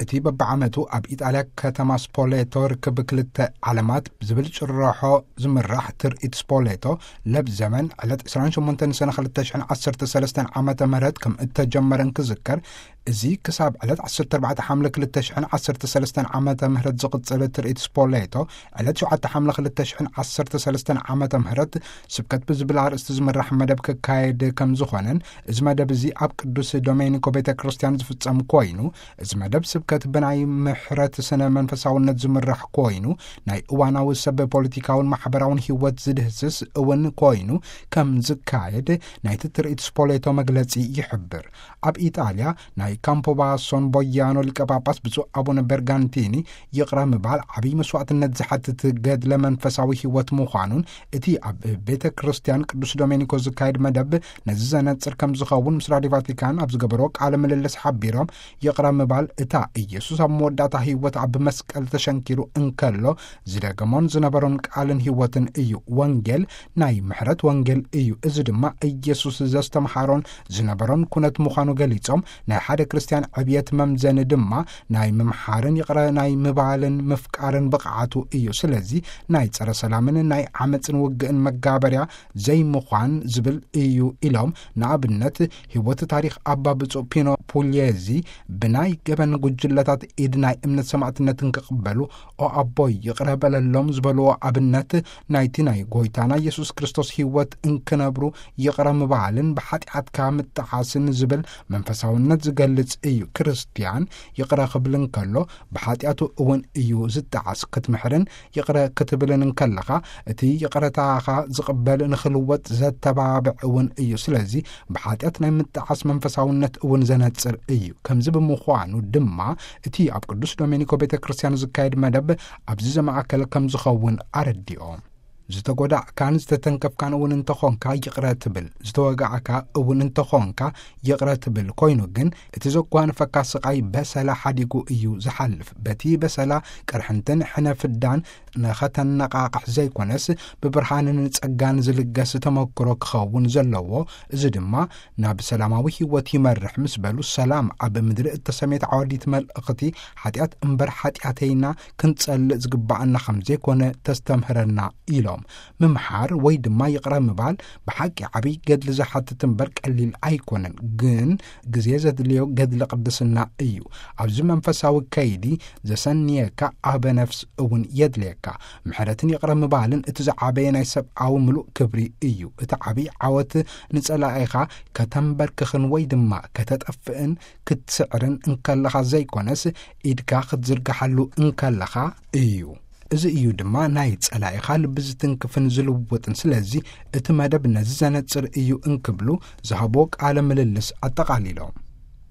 እቲ በብዓመቱ ኣብ ኢጣልያ ከተማ ስፖሌቶ ርክብ ክልተ ዓለማት ብዝብል ጭርሖ ዝምራሕ ትርኢት ስፖሌቶ ለብ ዘመን ዕለት ዕስራን ሸሞንተን ሰነ ክልተ ሽሕን ዓሰርተ ሰለስተን ዓመተ ምህረት ከም እተጀመረ እንክዝከር፣ እዚ ክሳብ ዕለት ዓሰርተ ኣርባዕተ ሓምለ ክልተ ሽሕን ዓሰርተ ሰለስተን ዓመተ ምህረት ዝቕጽል ትርኢት ስፖሌቶ ዕለት ሸውዓተ ሓምለ ክልተ ሽሕን ዓሰርተ ሰለስተን ዓመተ ምህረት ስብከት ብዝብል ኣርእስቲ ዝምራሕ መደብ ክካየድ ከም ዝኾነን፣ እዚ መደብ እዚ ኣብ ቅዱስ ዶሜኒኮ ቤተ ክርስቲያን ዝፍጸም ኮይኑ፣ እዚ መደብ ስብከት ብናይ ምሕረት ስነ መንፈሳውነት ዝምራሕ ኮይኑ፣ ናይ እዋናዊ ሰብ ፖለቲካውን ማሕበራውን ህይወት ዝድህስስ እውን ኮይኑ ከም ዝካየድ ናይቲ ትርኢት ስፖሌቶ መግለጺ ይሕብር። ኣብ ኢጣልያ ናይ ካምፖባሶን ቦያኖ ሊቀ ጳጳስ ብፁዕ ኣቡነ በርጋንቲኒ ይቕረ ምባል ዓብይ መስዋዕትነት ዝሓትት ገድለ መንፈሳዊ ህይወት ምዃኑን፣ እቲ ኣብ ቤተ ክርስቲያን ቅዱስ ዶሜኒኮ ዝካየድ መደብ ነዚ ዘነጽር ከም ዝኸውን ምስ ራዲዮ ቫቲካን ኣብ ዝገበሮ ቃለ ምልልስ ሓቢሮም፣ ይቕረ ምባል እታ ኢየሱስ ኣብ መወዳእታ ህይወት ኣብ መስቀል ተሸንኪሩ እንከሎ ዝደገሞን ዝነበሮን ቃልን ህይወትን እዩ። ወንጌል ናይ ምሕረት ወንጌል እዩ። እዚ ድማ ኢየሱስ ዘስተምሃሮን ዝነበሮን ኩነት ምዃኑ ገሊጾም፣ ናይ ሓደ ክርስቲያን ዕብየት መምዘኒ ድማ ናይ ምምሓርን ይቕረ ናይ ምባልን ምፍቃርን ብቕዓቱ እዩ። ስለዚ ናይ ጸረ ሰላምን ናይ ዓመጽን ውግእን መጋበርያ ዘይምዃን ዝብል እዩ ኢሎም፣ ንኣብነት ህይወት ታሪኽ ኣባ ብፁዕ ፒኖ ፑልየዚ ብናይ ገበን ጉጅለታት ኢድ ናይ እምነት ሰማዕትነትን ክቕበሉ፣ "ኦ ኣቦይ ይቕረ በለሎም" ዝበልዎ ኣብነት ናይቲ ናይ ጎይታና ኢየሱስ ክርስቶስ ህይወት እንክነብሩ ይቕረ ምባልን ብሓጢኣትካ ምጠዓስን ዝብል መንፈሳውነት ዝገልጽ እዩ። ክርስትያን ይቕረ ክብል እንከሎ ብሓጢኣቱ እውን እዩ ዝጠዓስ። ክትምሕርን ይቕረ ክትብልን እንከለኻ እቲ ይቕረታኻ ዝቕበል ንኽልወጥ ዘተባብዕ እውን እዩ። ስለዚ ብሓጢኣት ናይ ምጠዓስ መንፈሳውነት እውን ዘነጽር እዩ። ከምዚ ብምዃኑ ድማ እቲ ኣብ ቅዱስ ዶሜኒኮ ቤተ ክርስቲያን ዝካየድ መደብ ኣብዚ ዘማእከለ ከም ዝኸውን ኣረዲኦም። ዝተጎዳእካን ዝተተንከፍካን እውን እንተኾንካ ይቕረ ትብል፣ ዝተወጋዕካ እውን እንተኾንካ ይቕረ ትብል። ኮይኑ ግን እቲ ዘጓንፈካ ስቓይ በሰላ ሓዲጉ እዩ ዝሓልፍ። በቲ በሰላ ቅርሕንትን ሕነ ፍዳን ንኸተነቓቕሕ ዘይኮነስ ብብርሃንን ጸጋን ዝልገስ ተመክሮ ክኸውን ዘለዎ፣ እዚ ድማ ናብ ሰላማዊ ህይወት ይመርሕ ምስ በሉ፣ ሰላም ኣብ ምድሪ እተሰምየት ዓወዲት መልእኽቲ ሓጢኣት እምበር ሓጢኣተይና ክንጸልእ ዝግባኣና ከም ዘይኮነ ተስተምህረና ኢሎም። ምምሓር ወይ ድማ ይቕረ ምባል ብሓቂ ዓብይ ገድሊ ዝሓትት እምበር ቀሊል ኣይኮነን፣ ግን ግዜ ዘድልዮ ገድሊ ቅድስና እዩ። ኣብዚ መንፈሳዊ ከይዲ ዘሰንየካ ኣበ ነፍስ እውን የድልየካ። ምሕረትን ይቕረ ምባልን እቲ ዝዓበየ ናይ ሰብኣዊ ምሉእ ክብሪ እዩ። እቲ ዓብይ ዓወት ንጸላኢኻ ከተንበርክኽን ወይ ድማ ከተጠፍእን ክትስዕርን እንከለኻ ዘይኮነስ፣ ኢድካ ክትዝርግሓሉ እንከለኻ እዩ። እዚ እዩ ድማ ናይ ጸላኢኻ ልቢ ዝትንክፍን ዝልውጥን። ስለዚ እቲ መደብ ነዚ ዘነጽር እዩ እንክብሉ ዝሃብዎ ቃለ ምልልስ ኣጠቓሊሎም።